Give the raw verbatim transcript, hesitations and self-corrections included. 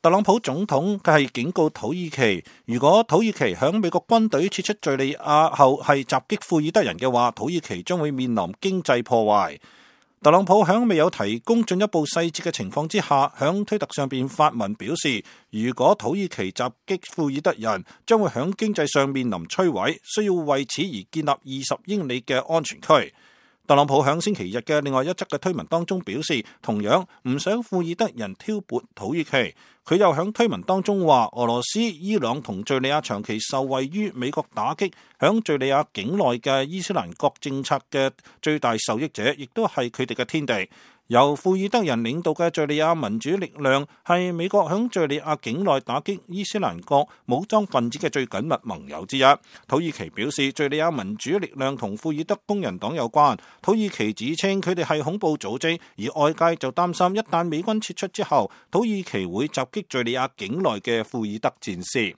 特朗普總統佢係警告土耳其，如果土耳其響美國軍隊撤出敘利亞後係襲擊庫爾德人嘅話，土耳其將會面臨經濟破壞。特朗普響未有提供進一步細節嘅情況之下，響推特上邊發文表示，如果土耳其襲擊庫爾德人，將會響經濟上面臨摧毀，需要為此而建立二十英里嘅安全區。特朗普響星期日嘅另外一則嘅推文當中表示，同樣唔想庫爾德人挑撥土耳其。佢又響推文當中話，俄羅斯、伊朗同敘利亞長期受惠於美國打擊響敘利亞境內嘅伊斯蘭國政策嘅最大受益者，亦都係佢哋嘅天地。由庫爾德人領導嘅敘利亞民主力量係美國響敘利亞境內打擊伊斯蘭國武裝分子嘅最緊密盟友之一。土耳其表示，敘利亞民主力量同庫爾德工人黨有關。土耳其指稱佢哋係恐怖組織，而外界就擔心一旦美軍撤出之後，土耳其會襲擊敘利亞境內嘅庫爾德戰士。